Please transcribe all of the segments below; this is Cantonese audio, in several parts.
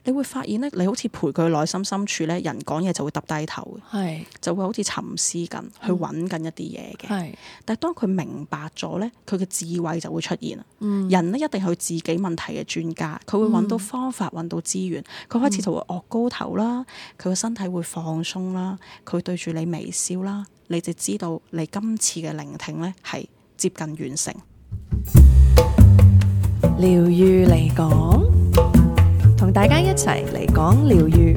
你會發現咧，你好似陪佢內心深處咧，人講嘢就會揼低頭嘅，係就會好似沉思緊，去揾緊一啲嘢嘅。係但係當佢明白咗咧，佢嘅智慧就會出現啦。人咧一定係佢自己問題嘅專家，佢會揾到方法，揾到資源，佢開始就會岳高頭啦，佢個身體會放鬆啦，佢對住你微笑啦，你就知道你今次嘅聆聽咧係接近完成。療癒嚟講，同大家一齊嚟講療癒。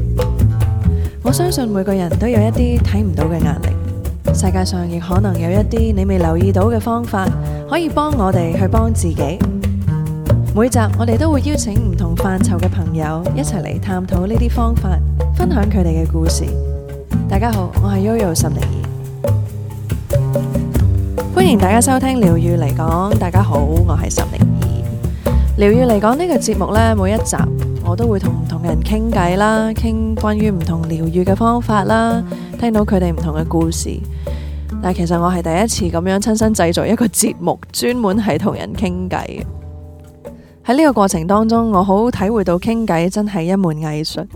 我相信每個人都有一啲睇唔到嘅壓力，世界上亦可能有一啲你未留意到嘅方法，可以幫我哋去幫自己。每集我哋都會邀請唔同範疇嘅朋友一齊嚟探討呢啲方法，分享佢哋嘅故事。大家好，我係 Yoyo 岑寧兒，歡迎大家收聽療癒嚟講。大家好，我係岑寧兒。療癒嚟講呢個節目呢，每一集我都會同唔同嘅人傾偈啦，傾關於唔同療癒嘅方法啦，聽到佢哋唔同嘅故事。但係其實我係第一次咁樣親身製作一個節目，專門係同人傾偈嘅。喺呢個過程當中，我好體會到傾偈真係一門藝術。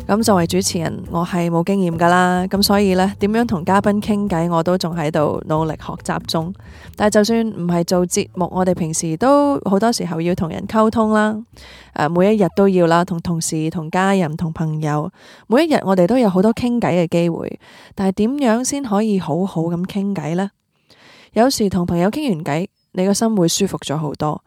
咁作為主持人，我係冇經驗噶啦，咁所以呢，點樣同嘉賓傾偈，我都仲喺度努力學習中。但係就算唔係做節目，我哋平時都好多時候要同人溝通啦，每一日都要啦，同同事、同家人、同朋友，每一日我哋都有好多傾偈嘅機會。但係點樣先可以好好咁傾偈呢？有時同朋友傾完偈，你個心會舒服咗好多。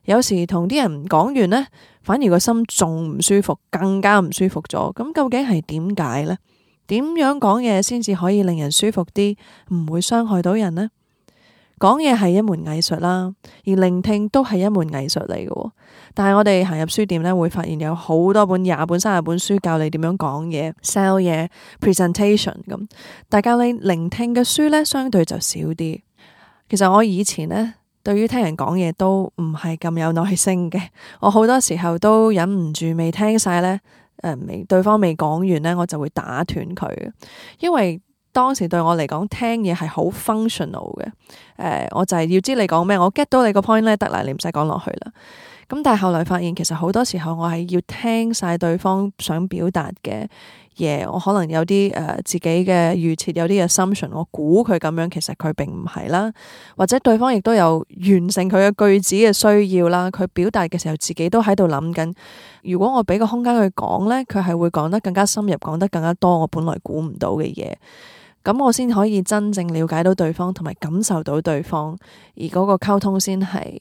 有時同啲人講完呢，反而個心仲唔舒服，更加唔舒服咗。咁究竟係點解呢？點樣講嘢先至可以令人舒服啲，唔會傷害到人呢？講嘢係一門藝術啦，而聆聽都係一門藝術嚟嘅。但係我哋行入書店呢，會發現有好多本20本30本書教你點樣講嘢、sell 嘢、presentation 咁。大家你聆聽嘅書呢，相對就少啲。其實我以前呢，對於聽人講嘢都唔係咁有耐性嘅，我好多時候都忍唔住未聽晒呢，對方未講完呢，我就會打斷佢。因為當時對我嚟講，聽嘢係好 functional 嘅，我就係要知你講咩，我 get 到你個 point 呢，得啦，你唔使講落去啦。咁但係後來發現，其實好多時候我係要聽晒對方想表達嘅嘢，我可能有啲自己嘅預設，有啲 assumption， 我估佢咁樣，其實佢並唔係啦，或者對方亦都有完成佢嘅句子嘅需要啦，佢表達嘅時候自己都喺度諗緊，如果我俾個空間佢講呢，佢係會講得更加深入，講得更加多我本來估唔到嘅嘢，咁我先可以真正了解到對方同埋感受到對方，而嗰個溝通先係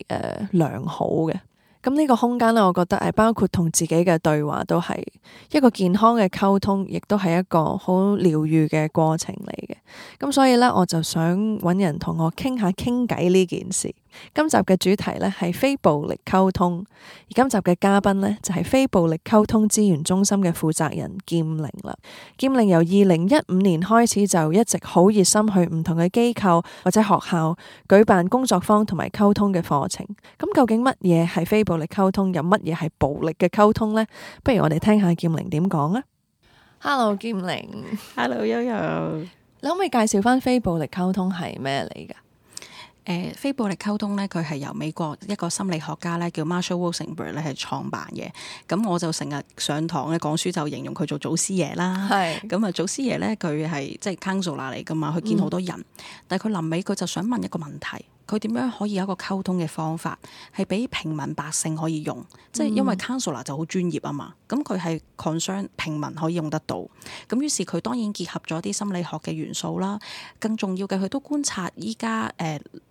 良好嘅。咁呢個空間呢，我覺得包括同自己嘅對話都係一個健康嘅溝通，亦都係一個好療癒嘅過程嚟嘅。咁所以呢，我就想揾人同我傾下傾偈呢件事。今集嘅主題呢係非暴力溝通，而今集嘅嘉賓呢就係非暴力溝通資源中心嘅負責人劍靈啦。劍靈由2015年開始就一直好熱心去唔同嘅機構或者學校舉辦工作坊同埋溝通嘅課程。咁究竟乜嘢係非暴力溝通，有乜嘢係暴力嘅溝通呢？不如我哋聽下劍靈點講啊。Hello， 劍靈。Hello Yoyo， 你可唔可以介紹翻非暴力溝通係咩嚟噶？非暴力溝通咧，佢係由美國一個心理學家咧叫 Marshall Rosenberg 咧係創辦嘅。咁我就成日上堂咧講書就形容佢做祖師爺啦。係咁啊，祖師爺咧佢係即係 counselor 嚟噶嘛，佢見好多人，但係佢臨尾佢就想問一個問題。佢點樣可以有一個溝通嘅方法係俾平民百姓可以用？即係因為 counselor 就好專業啊嘛，咁佢係 concern 平民可以用得到。咁於是佢當然結合咗啲心理學嘅元素啦，更重要嘅佢都觀察依家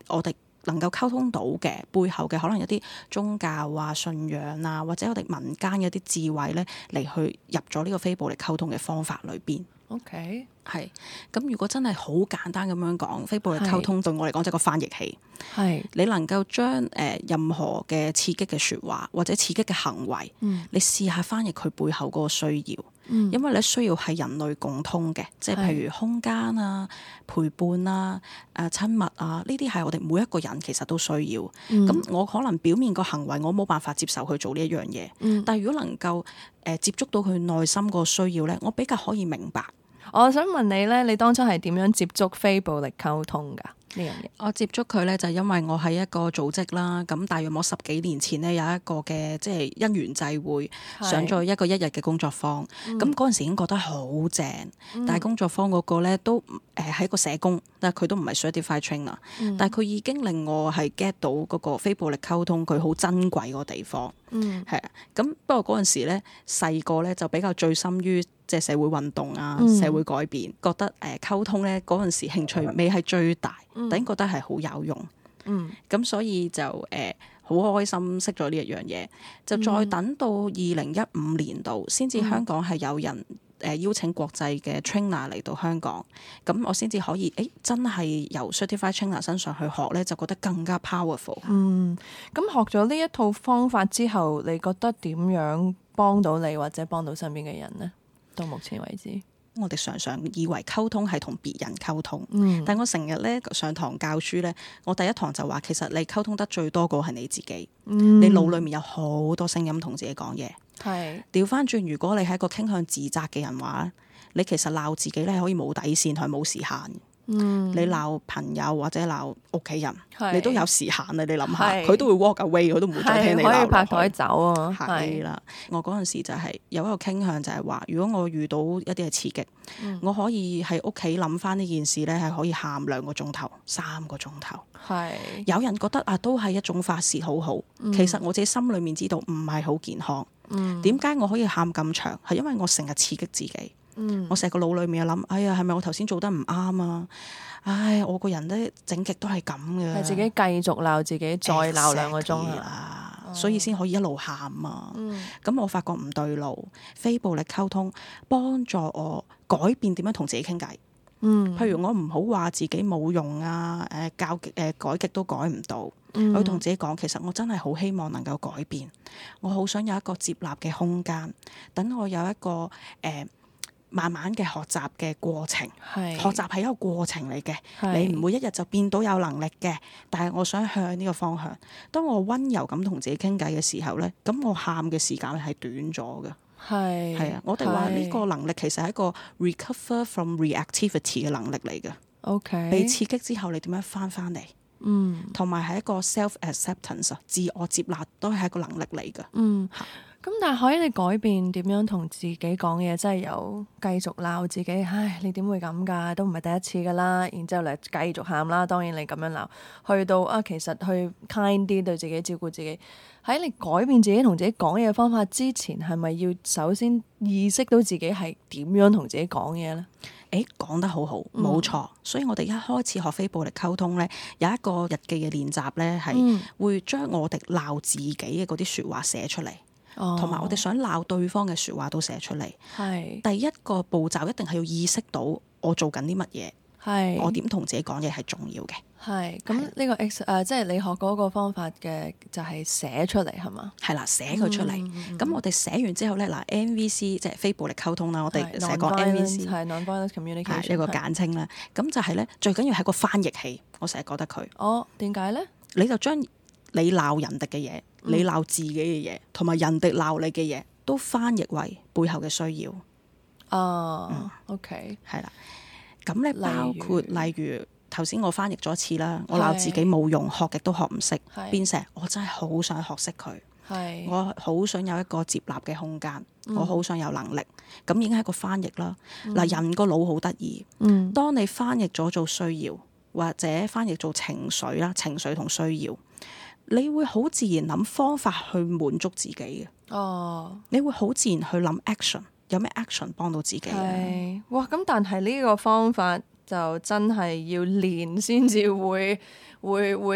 我哋能夠溝通到嘅背後嘅可能有啲宗教啊、信仰啊，或者我哋民間有啲智慧咧嚟去入咗呢個非暴力溝通嘅方法裏邊。OK， 係咁。如果真係好簡單咁樣講，非暴力溝通對我嚟講就係個翻譯器。係你能夠將任何嘅刺激嘅説話或者刺激嘅行為，你試下翻譯佢背後嗰個需要。因為你需要係人類共通嘅，即係譬如空間啊、陪伴啊、親密啊，呢啲係我哋每一個人其實都需要。咁我可能表面個行為我冇辦法接受去做呢一樣嘢，但係如果能夠接觸到佢內心個需要呢，我比較可以明白。我想問你呢，你當初係點樣接觸非暴力溝通㗎？呢樣嘢？我接觸佢咧，就因為我喺一個組織啦，咁大約我10幾年前咧有一個嘅即係因緣際會，上咗一個1日嘅工作坊，咁嗰陣時已經覺得好正，但係工作坊嗰個咧都係一個社工，但係佢都唔係 certified trainer，但係佢已經令我係 get 到嗰個非暴力溝通佢好珍貴個地方，係啊，咁不過嗰陣時咧細個咧就比較醉心於即係社會運動啊、社會改變，覺得溝通咧嗰陣時興趣未係最大，突然覺得係好有用，咁所以就好開心識咗呢一樣嘢，就再等到2015年度先至香港係有人邀請國際嘅 trainer 嚟到香港，咁我先至可以真係由 certified trainer 身上去學咧，就覺得更加 powerful。咁學咗呢一套方法之後，你覺得點樣幫到你或者幫到身邊嘅人呢？到目前為止，我哋常常以為溝通係同別人溝通，但我成日咧上堂教書咧，我第一堂就話其實你溝通得最多個係你自己，你腦裏面有好多聲音同自己講嘢。係調翻轉，如果你係一個傾向自責嘅人話，你其實鬧自己咧可以冇底線係冇時限。你鬧朋友或者鬧屋企人，你都有時限啊！你諗下，佢都會 walk away，佢都唔會再聽你鬧落去。可以拍台走啊！係啦，我嗰陣時就係有一個傾向，就係話，如果我遇到一啲嘅刺激，我可以喺屋企諗翻呢件事咧，係可以喊2個鐘頭、3個鐘頭。係有人覺得啊，都係一種發泄，好好。其實我自己心裏面知道唔係好健康。點解我可以喊咁長？係因為我成日刺激自己。我成個腦裏面諗，哎呀，係咪我頭先做得唔啱啊？唉，我個人咧整極都係咁嘅，係自己繼續鬧自己，再鬧2個鐘啦，所以先可以一路喊啊。咁我發覺唔對路，非暴力溝通幫助我改變點樣同自己傾偈。譬如我唔好話自己冇用啊，改極都改唔到。我要同自己講，其實我真係好希望能夠改變，我好想有一個接納嘅空間，等我有一個慢慢嘅學習嘅過程，學習係一個過程嚟嘅，你唔會一日就變到有能力嘅。但係我想向呢個方向。當我溫柔咁同自己傾偈嘅時候咧，咁我喊嘅時間係短咗嘅。係啊，我哋話呢個能力其實係一個 recover from reactivity 嘅能力嚟嘅。OK， 被刺激之後你點樣翻嚟？同埋係一個 self acceptance 自我接納都係一個能力嚟嘅。咁但係可以你改變點樣同自己講嘢，真係有繼續鬧自己，唉，你點會咁㗎？都唔係第一次㗎啦，然之後你繼續喊啦。當然你咁樣鬧，去到其實去 kind 啲對自己，照顧自己。喺你改變自己同自己講嘢嘅方法之前，係咪要首先意識到自己係點樣同自己講嘢呢？講得好好，冇錯。所以我哋一開始學非暴力溝通咧，有一個日記嘅練習咧，係會將我哋鬧自己嘅嗰啲説話寫出嚟。同埋我哋想鬧對方嘅説話都寫出嚟。第一個步驟一定係要意識到我做緊啲乜嘢，我點同自己講嘢係重要嘅。咁呢個即係你學嗰個方法嘅就係寫出嚟係嘛？係啦，寫佢出嚟。咁我哋寫完之後咧，嗱 NVC 即係非暴力溝通啦，我哋成日講 NVC 係 non-violent communication 呢個簡稱啦。咁就係咧，最緊要係個翻譯器。我成日覺得佢點解咧？你就將你鬧人哋嘅嘢，你鬧自己嘅嘢，同埋人哋鬧你嘅嘢，都翻譯為背後嘅需要。OK， 係啦。咁咧包括例如頭先我翻譯咗一次啦，我鬧自己冇用，學極都學唔識，變成我真係好想學識佢。我好想有一個接納嘅空間，我好想有能力。咁已經係一個翻譯啦。嗱，人個腦好得意。當你翻譯咗做需要，或者翻譯做情緒啦，情緒同需要。你會好自然諗方法去滿足自己嘅。你會好自然去諗 action， 有咩 action 幫到自己？哇！咁但係呢個方法就真係要練先至會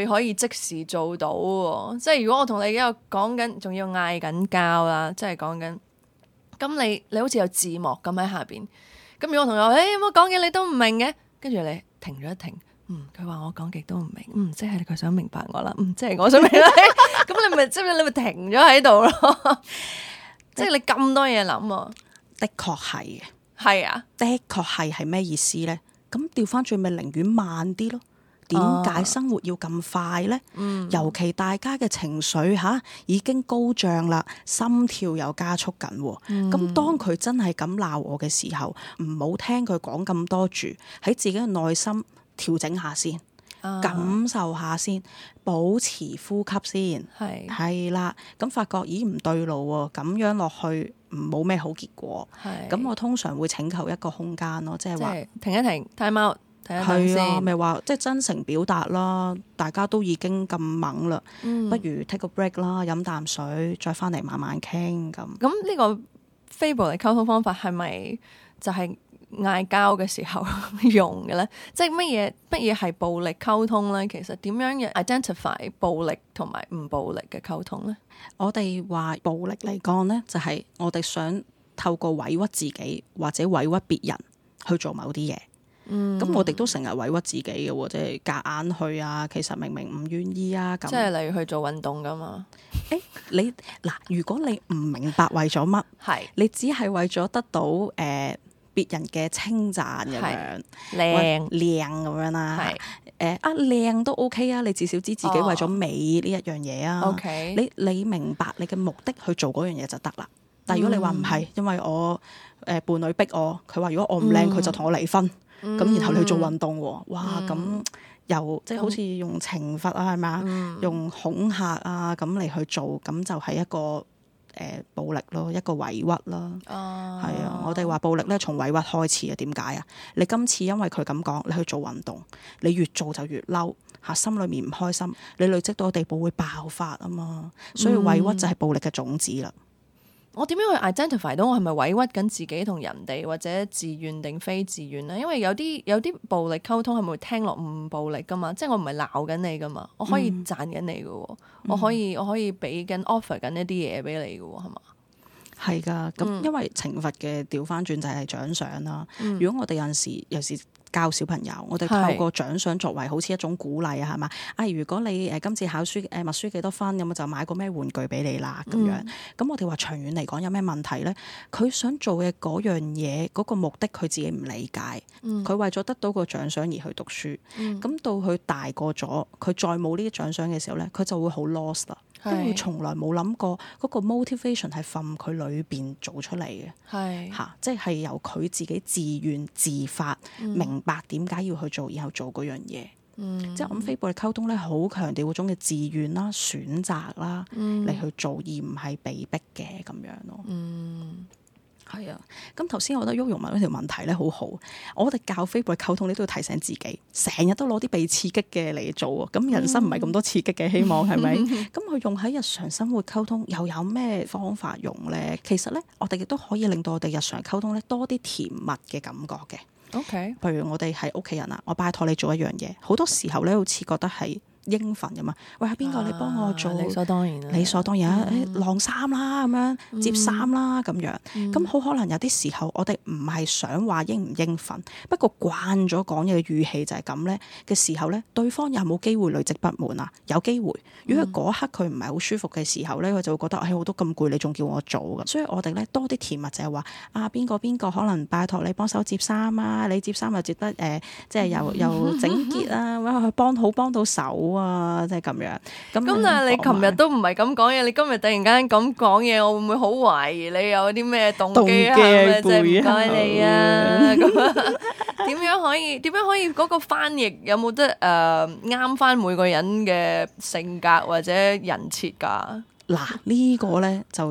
可以即時做到喎。即係如果我同你而家講緊，仲要嗌緊交啦，即係講緊，咁你好似有字幕咁喺下邊。咁如果我同你話，我講嘅你都唔明嘅，跟住你停咗一停。佢話我講極都唔明，即係佢想明白我啦，即係我想明啦。咁你咪停咗喺度咯，即係你咁多嘢諗啊。的確係嘅，係啊，的確係咩意思咧？咁調翻轉咪寧願慢啲咯。點解生活要咁快咧？尤其大家嘅情緒已經高漲啦，心跳又加速緊。咁當佢真係咁鬧我嘅時候，唔好聽佢講咁多住，喺自己嘅內心調整下先，感受下先，保持呼吸先，係啦。咁發覺咦唔對路喎，咁樣落去冇咩好結果。咁我通常會請求一個空間咯，即係話停一停 time out。係啊，咪話即係真誠表達啦，大家都已經咁猛啦，不如 take 個 break 啦，飲啖水，再翻嚟慢慢傾咁。咁呢個非暴力溝通方法係咪就係嗌交嘅時候用嘅咧？即係乜嘢係暴力溝通咧？其實點樣 identify 暴力同埋唔暴力嘅溝通咧？我哋話暴力嚟講咧，就係我哋想透過委屈自己或者委屈別人去做某啲嘢。咁我哋都成日委屈自己嘅喎，即係夾硬去啊，其實明明唔願意啊咁。即係例如去做運動㗎嘛？你嗱，如果你唔明白為咗乜，你只係為咗得到別人嘅稱讚咁樣，靚咁樣啦。靚都 OK 啊，你至少知自己為咗美呢一樣嘢啊。你明白你嘅目的去做嗰樣嘢就得啦。但係如果你話唔係，因為我伴侶逼我，佢話如果我唔靚，佢就同我離婚。咁然後你去做運動喎，哇！咁又即係好似用懲罰啊，係咪啊？用恐嚇啊咁嚟去做，咁就係一個暴力咯，一個委屈啦。係啊，我哋話暴力咧從委屈開始啊。點解啊？你今次因為佢咁講，你去做運動，你越做就越嬲嚇，心裏面唔開心，你累積到個地步會爆發啊嘛。所以委屈就係暴力嘅種子啦。我點樣去 identify 到我係咪委屈緊自己同人哋，或者自願定非自願咧？因為有啲暴力溝通係咪會聽落唔暴力噶嘛？即係我唔係鬧緊你噶嘛，我可以讚緊你噶喎，我可以俾緊 offer 緊一啲嘢俾你噶喎，係嘛？係噶，咁因為懲罰嘅調翻轉就係獎賞啦。如果我哋有時教小朋友，我哋透過獎賞作為好似一種鼓勵啊，係嘛？如果你今次考書默書幾多分，咁就買個咩玩具俾你啦咁樣。咁我哋話長遠嚟講有咩問題咧？佢想做嘅嗰樣嘢，嗰個目的佢自己唔理解，佢為咗得到個獎賞而去讀書。咁到佢大個咗，佢再冇呢啲獎賞嘅時候咧，佢就會好 lost 啦。因為佢從來冇諗過嗰個 motivation 係from佢裏邊做出嚟嘅，即係由佢自己自願自發，明白點解要去做，然後做嗰樣嘢。即係我諗非暴力溝通咧，好強調嗰種嘅自願啦、選擇啦嚟去做，而唔係被逼嘅咁樣咯。係啊，咁頭先我覺得毓容問嗰條問題咧好好，我哋教非暴力溝通，你都要提醒自己，成日都攞啲被刺激嘅嚟做啊，咁人生唔係咁多刺激嘅，希望係咪？咁佢用喺日常生活溝通又有咩方法用咧？其實咧，我哋亦都可以令到我哋日常溝通咧多啲甜蜜嘅感覺嘅。OK，譬如我哋係屋企人啊，我拜託你做一樣嘢，好多時候咧好似覺得係應份㗎嘛，喂，邊個你幫我做？理所當然，理所當然晾衫啦，咁樣摺衫啦，咁樣。咁好可能有啲時候，我哋唔係想話應唔應份，不過慣咗講嘢嘅語氣就係咁咧嘅時候咧，對方有冇機會累積不滿啊？有機會。如果嗰刻佢唔係好舒服嘅時候咧，佢就會覺得我都咁攰，你仲叫我做㗎。所以我哋咧多啲甜蜜就係話邊個可能拜託你幫手摺衫啊，你摺衫又摺得即係又整潔啊，或者幫到手啊，即係咁樣。咁但係你琴日都唔係咁講嘢，你今日突然間咁講嘢，我會唔會好懷疑你有啲咩動機啊？即係唔該你啊！咁點樣可以嗰個翻譯有冇得啱翻每個人嘅性格或者人設㗎？嗱，呢個咧就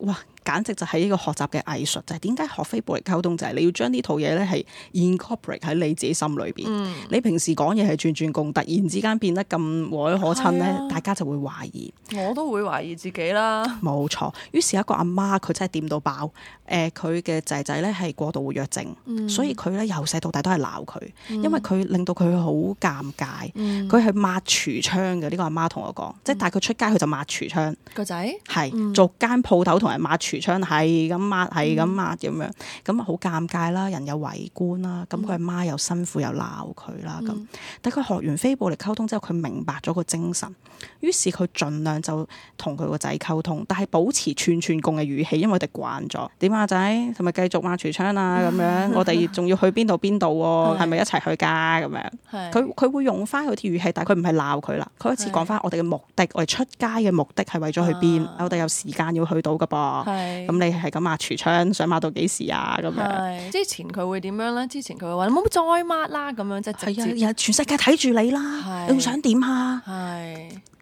哇！簡直就係呢個學習嘅藝術，就係點解學非暴力溝通，就係你要將呢套嘢咧係 incorporate 喺你自己心裏邊。你平時講嘢係轉共，突然之間變得咁和藹可親咧，大家就會懷疑。我都會懷疑自己啦。冇錯。於是一個阿媽佢真係掂到爆，佢嘅仔仔咧係過度活躍症，所以佢咧由細到大都係鬧佢，因為佢令到佢好尷尬。佢係抹櫥窗嘅，呢個阿媽同我講，即係帶佢出街佢就抹櫥窗。個仔係做間鋪頭同人抹櫥窗，係咁抹咁樣，咁好尷尬啦，人又圍觀啦，咁佢阿媽又辛苦又鬧佢啦，咁但佢學完非暴力溝通之後，佢明白咗個精神，於是佢盡量就同佢個仔溝通，但係保持串共嘅語氣，因為我哋慣咗。點啊仔，係咪繼續抹櫥窗啊？咁樣我哋仲要去邊度喎？係咪一齊去㗎？咁樣佢會用翻佢啲語氣，但係佢唔係鬧佢啦，佢開始講翻我哋嘅目的，我哋出街嘅目的係為咗去邊？我哋有時間要去到㗎噃。咁你係咁抹櫥窗，想抹到幾時啊？咁樣之前佢會點樣咧？之前佢會話你冇再抹啦，咁樣即係直接全世界睇住你啦，你仲想點啊？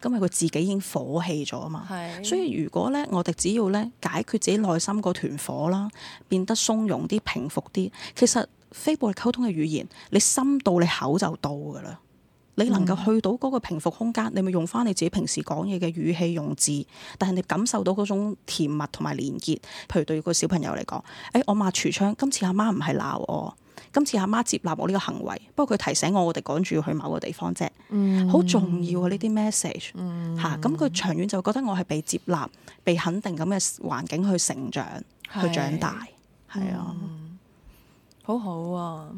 咁佢自己已經火氣咗啊嘛。所以如果咧，我哋只要咧解決自己內心嗰團火啦，變得鬆容啲、平復啲，其實非暴力溝通嘅語言，你心到你口就到噶啦。你能夠去到嗰個平復空間，你咪用翻你自己平時講嘢嘅語氣用字，但係你感受到嗰種甜蜜同埋連結。譬如對個小朋友嚟講，我抹櫥窗，今次阿媽唔係鬧我，今次阿媽接納我呢個行為，不過佢提醒我哋趕住要去某個地方啫，好重要啊呢啲 message 嚇。咁佢長遠就覺得我係被接納、被肯定咁嘅環境去成長、去長大，係啊，好好啊。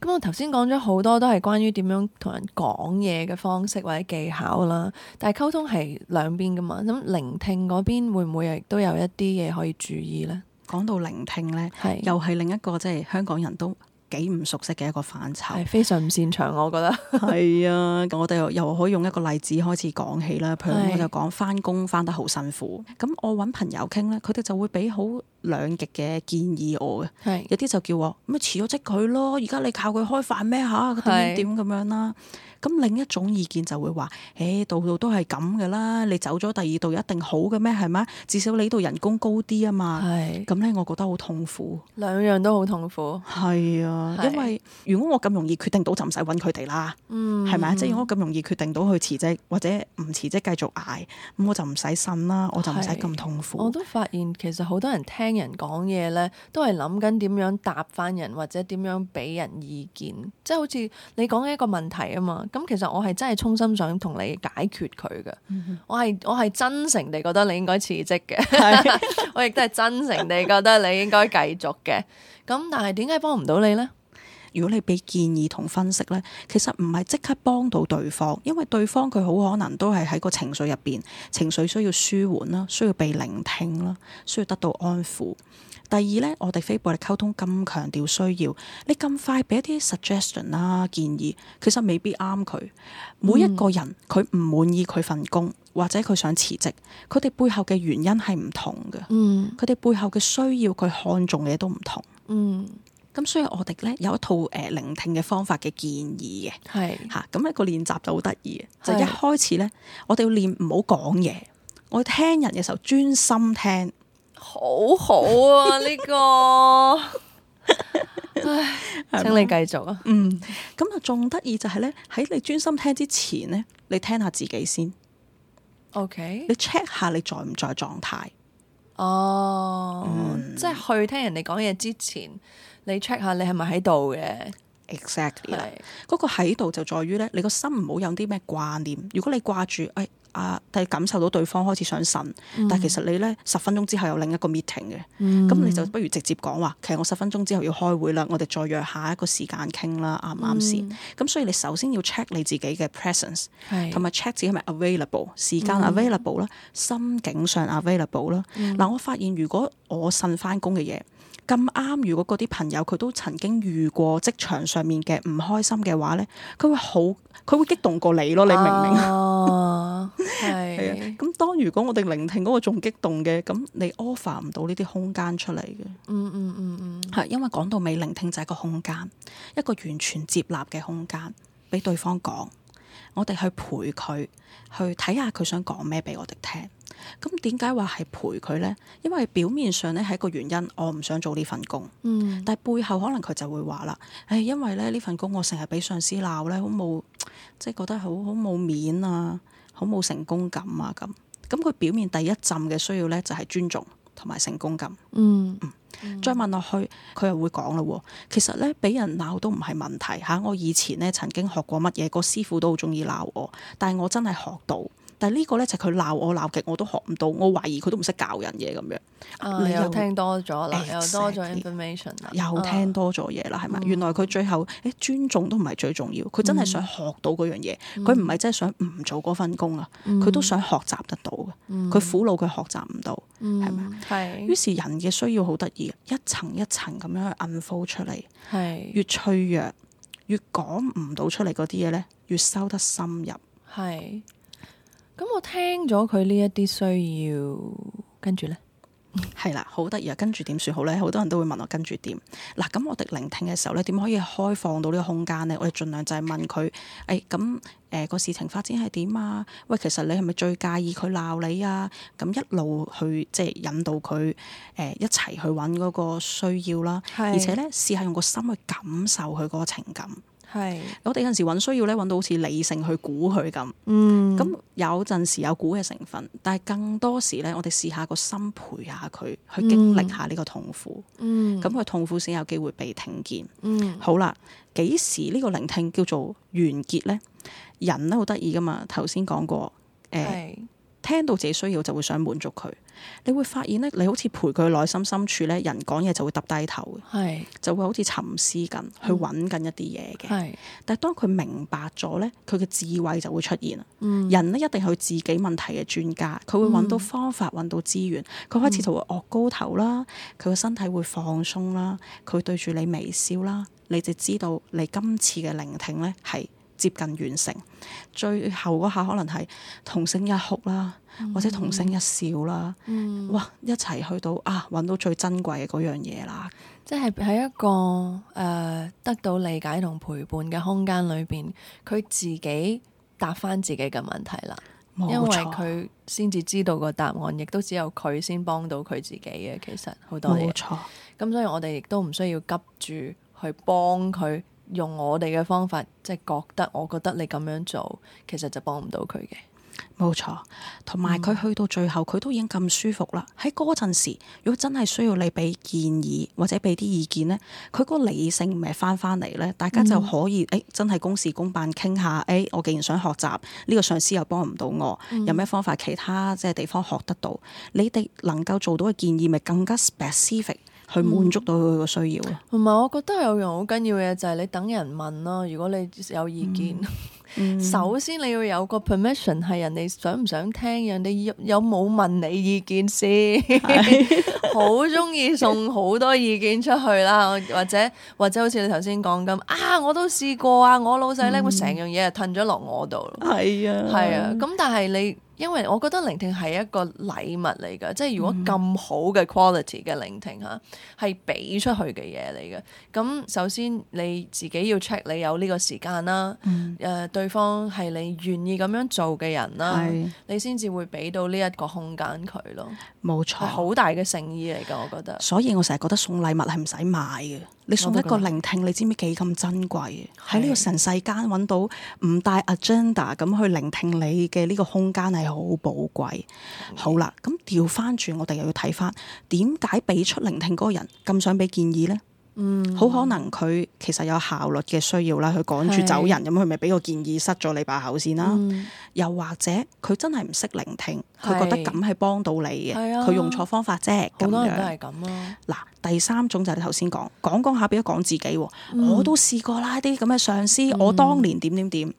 咁我頭先講咗好多都係關於點樣同人講嘢嘅方式或者技巧啦，但係溝通係兩邊噶嘛，咁聆聽嗰邊會唔會亦都有一啲嘢可以注意呢？講到聆聽呢，又係另一個即係香港人都幾唔熟悉嘅一個範疇，係非常唔擅長，我覺得係啊。我哋又可以用一個例子開始講起啦。譬如我就講返工返得好辛苦，咁我揾朋友傾咧，佢哋就會俾好兩極嘅建議我嘅，有啲就叫我咁咪辭咗職佢咯，而家你靠佢開飯咩嚇？點咁樣啦？咁另一種意見就會話，度度都係咁嘅啦，你走咗第二度一定好嘅咩？係咪？至少你度人工高啲啊嘛。咁咧，我覺得好痛苦。兩樣都好痛苦。係啊，因為如果我咁容易決定到，就唔使揾佢哋啦。係咪？即係如果我咁容易決定到去辭職或者唔辭職繼續捱，咁我就唔使呻啦，我就唔使咁痛苦。我都發現其實好多人聽人講嘢咧，都係諗緊點樣答翻人或者點樣俾人意見，即係好似你講嘅一個問題啊嘛。咁其實我係真係衷心想同你解決佢嘅，我係真誠地覺得你應該辭職嘅，我亦都係真誠地覺得你應該繼續嘅。咁但係點解幫唔到你呢？如果你俾建議同分析呢，其實唔係即刻幫到對方，因為對方佢好可能都係喺個情緒入邊，情緒需要舒緩啦，需要被聆聽啦，需要得到安撫。第二呢，我哋非暴力溝通咁強調需要，你咁快俾一啲 suggestion 啦建議，其實未必啱佢。每一個人佢唔滿意佢份工，或者佢想辭職，佢哋背後嘅原因係唔同嘅。佢哋背後嘅需要，佢看重嘅嘢都唔同。咁所以我哋咧有一套聆聽嘅方法嘅建議嘅，咁一個練習就好得意嘅，就一開始咧，我哋要練唔好講嘢，我要聽人嘅時候專心聽。好好啊呢個，唉，請你繼續啊。咁啊仲得意就係咧，喺你專心聽之前咧，你聽下自己先。OK，你 check 下你在唔在狀態。即係去聽人哋講嘢之前，你 check 下你係咪喺度嘅。Exactly 啦，嗰個喺度就在於咧，你個心唔好有啲咩掛念。如果你掛住但係感受到對方開始想呻，但係其實你咧10分鐘之後有另一個 meeting 嘅，咁你就不如直接講話，其實我10分鐘之後要開會啦，我哋再約下一個時間傾啦，啱唔啱先？咁所以你首先要 check 你自己嘅 presence，同埋 check 自己係咪 available， 時間 available 啦，心境上 available 啦。嗱，我發現如果我呻翻工嘅嘢咁啱，如果嗰啲朋友佢都曾經遇過職場上面嘅唔開心嘅話咧，佢會激動過你咯，你明唔明啊？係啊，咁當如果我哋聆聽嗰個仲激動嘅，咁你 offer 唔到呢啲空間出嚟嘅。係因為講到尾，聆聽就係一個空間，一個完全接納嘅空間，俾對方講，我哋去陪佢，去睇下佢想講咩俾我哋聽。咁點解話係陪佢呢？因為表面上咧係一個原因，我唔想做呢份工。但係背後可能佢就會話啦，因為咧呢份工我成日俾上司鬧咧，好冇，即係覺得好冇面啊，好冇成功感啊咁。咁佢表面第一陣嘅需要咧就係尊重同埋成功感。再問落去，佢又會講啦，其實咧俾人鬧都唔係問題嚇。我以前咧曾經學過乜嘢，個師傅都好中意鬧我，但係我真係學到。但係呢個咧就係佢鬧我鬧極我都學唔到，我懷疑佢都唔識教人嘢咁樣。你又聽多咗啦，又多咗 information 啦，又聽多咗嘢啦，係咪？原來佢最後尊重都唔係最重要，佢真係想學到嗰樣嘢，佢唔係真係想唔做嗰份工啊，佢都想學習得到嘅。佢苦惱佢學習唔到，係咪？係。於是人嘅需要好得意，一層一層咁樣去 unfold 出嚟，越脆弱，越講唔到出嚟嗰啲嘢咧，越收得深入。係。咁我聽咗佢呢一啲需要，跟住呢？係啦，好得意啊！跟住點算好咧？好多人都會問我跟住點。嗱，咁我哋聆聽嘅時候咧，點可以開放到呢個空間咧？我哋盡量就係問佢，咁個事情發展係點啊？喂，其實你係咪最介意佢鬧你啊？咁一路去即係引導佢一齊去揾嗰個需要啦。而且咧，試下用個心去感受佢嗰個情感。係，我哋有陣時揾需要咧，揾到好似理性去估佢咁。咁有陣時有估嘅成分，但係更多時咧，我哋試下個心陪下佢，去經歷下呢個痛苦。咁佢痛苦先有機會被聽見。好啦，幾時呢個聆聽叫做完結呢？人咧好得意噶嘛，頭先講過，聽到自己需要就會想滿足佢。你會發現咧，你好似陪佢內心深處咧，人講嘢就會揼低頭嘅，就會好似沉思緊，去揾緊一啲嘢嘅。但係當佢明白咗咧，佢嘅智慧就會出現啦。人咧一定係佢自己問題嘅專家，佢會揾到方法，揾到資源。佢開始就會昂高頭啦，佢個身體會放鬆啦，佢對住你微笑啦，你就知道你今次嘅聆聽咧係接近完成，最後嗰下可能係同聲一哭啦，或者同聲一笑啦，哇！一齊去到揾到最珍貴嘅嗰樣嘢啦，即係喺一個得到理解同陪伴嘅空間裏邊，佢自己答翻自己嘅問題啦，冇錯，因為佢先至知道個答案，亦都只有佢先幫到佢自己嘅。其實好多嘢，冇錯。咁所以我哋亦都唔需要急住去幫佢。用我哋嘅方法，即係我覺得你咁樣做，其實就幫唔到佢嘅。冇錯，同埋佢去到最後，佢都已經咁舒服啦。喺嗰陣時，如果真係需要你俾建議或者俾啲意見呢，佢個理性咪翻嚟呢，大家就可以真係公事公辦傾下。我既然想學習，呢個上司又幫唔到我，有咩方法其他即係地方學得到？你哋能夠做到嘅建議，咪更加 specific。去滿足到佢個需要。同埋我覺得有樣好緊要嘅就係你等人問咯。如果你有意見，首先你要有個 permission 係人哋想唔想聽，人哋有冇問你意見先。好中意送好多意見出去啦，或者好似你頭先講咁我都試過啊，我老細咧會成樣嘢就褪咗落我度。係啊，咁但係你。因為我覺得聆聽係一個禮物嚟㗎，即係如果咁好嘅 quality 嘅聆聽嚇，係俾出去嘅嘢嚟嘅。咁首先你自己要 check 你有呢個時間啦，對方係你願意咁樣做嘅人啦，你先至會俾到呢一個空間佢咯。冇錯，係好大嘅誠意嚟㗎，我覺得。所以我成日覺得送禮物係唔使買嘅。你送一個聆聽，你知唔知幾咁珍貴？喺呢個神世間揾到唔帶 agenda 咁去聆聽你嘅呢個空間係好寶貴。好啦，咁調翻轉，我哋又要睇翻點解俾出聆聽嗰個人咁想俾建議呢？好可能佢其實有效率嘅需要啦，佢趕住走人咁，佢咪俾個建議塞咗你把口先啦。又或者佢真係唔識聆聽，佢覺得咁係幫到你嘅，佢用錯方法啫。好多人都係咁啊。嗱，第三種就係你頭先講下，變咗講自己。我都試過啦，啲咁嘅上司，我當年點。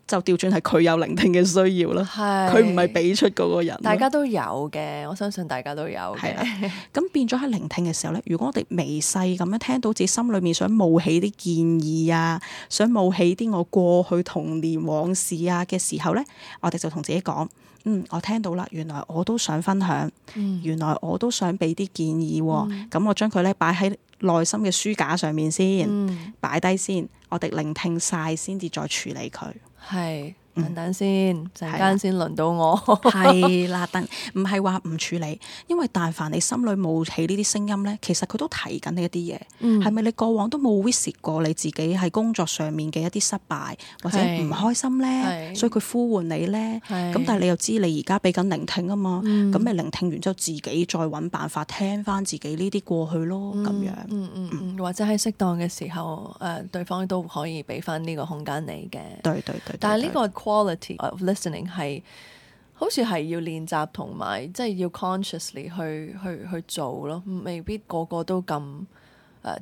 就調轉係佢有聆聽嘅需要啦，佢唔係俾出嗰個人。大家都有嘅，我相信大家都有嘅。咁變咗喺聆聽嘅時候咧，如果我哋微細咁樣聽到自己心裏面想冒起啲建議啊，想冒起啲我過去童年往事啊嘅時候咧，我哋就同自己講：我聽到啦，原來我都想分享，原來我都想俾啲建議。咁我將佢咧擺喺內心嘅書架上面先，擺低先，我哋聆聽晒先至再處理佢。係，等先，陣間先輪到我。係啦，唔係話唔處理，因為但凡你心裏冒起呢啲聲音咧，其實佢都提緊你一啲嘢。係咪你過往都冇 visit 過你自己喺工作上面嘅一啲失敗或者唔開心咧？所以佢呼喚你咧。咁但係你又知你而家俾緊聆聽啊嘛，咁咪聆聽完之後自己再揾辦法聽翻自己呢啲過去咯，咁樣。或者喺適當嘅時候，對方都可以俾翻呢個空間你嘅。對。但係呢個 quality of listening 係好似係要練習同埋即係要 consciously 去做咯，未必個個都咁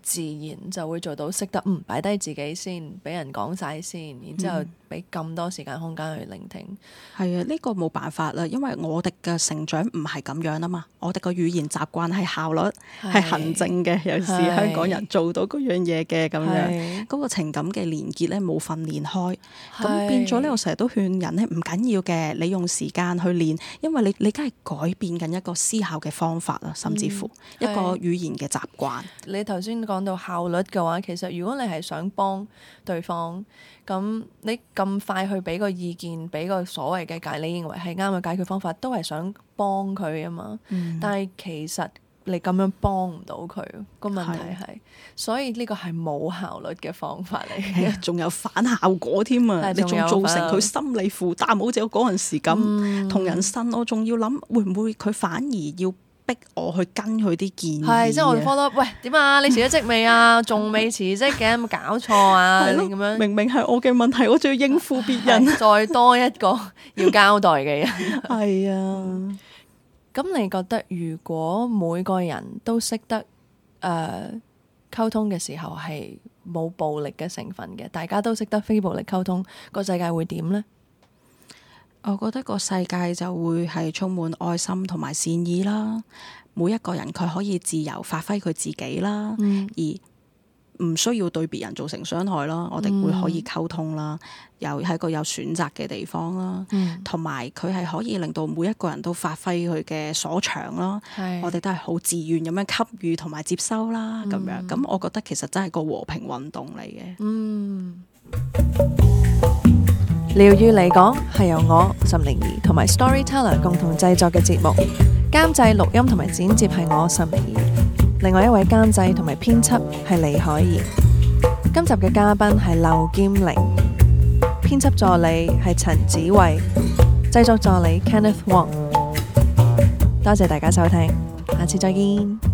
自然就會做到識得擺低自己先，俾人講晒先，然之後俾咁多時間空間去聆聽。係啊，呢個冇辦法啦，因為我哋嘅成長唔係咁樣啊嘛，我哋個語言習慣係效率，係行政嘅，有時香港人做到嗰樣嘢嘅咁樣，嗰個情感嘅連結咧冇訓練開，咁變咗咧，我成日都勸人咧唔緊要嘅，你用時間去練，因為你梗係改變緊一個思考嘅方法啦，甚至乎一個語言嘅習慣。你頭先講到效率嘅話，其實如果你係想幫對方，咁你咁快去俾個意見，俾個所謂嘅你認為係啱嘅解決方法，都係想幫佢啊嘛。但係其實你咁樣幫唔到佢，個問題係，所以呢個係冇效率嘅方法嚟嘅，仲有反效果添啊！你仲造成佢心理負擔，好似我嗰陣時咁同人呻，我仲要諗會唔會佢反而要逼我去跟佢啲建議。係，即係我 follow， 喂，點啊？你辭咗職未啊？仲未辭職嘅，有冇搞錯啊？咁樣明明係我嘅問題，我仲要應付別人，再多一個要交代嘅人。係啊。咁你覺得如果每個人都識得溝通嘅時候係冇暴力嘅成分嘅，大家都識得非暴力溝通，個世界會點呢？我覺得個世界就會係充滿愛心同埋善意啦。每一個人佢可以自由發揮佢自己啦，而唔需要對別人造成傷害啦。我哋會可以溝通啦，又係一個有選擇嘅地方啦，同埋佢係可以令到每一個人都發揮佢嘅所長啦。我哋都係好自願咁樣給予同埋接收啦，咁樣咁我覺得其實真係個和平運動嚟嘅。療癒嚟講係由我岑寧兒同埋 Storyteller 共同製作嘅節目，監製錄音同埋剪接係我岑寧兒，另外一位監製同埋編輯係李海怡。今集嘅嘉賓係劉劍玲，編輯助理係陳子慧，製作助理 Kenneth Wong。多謝大家收聽，下次再見。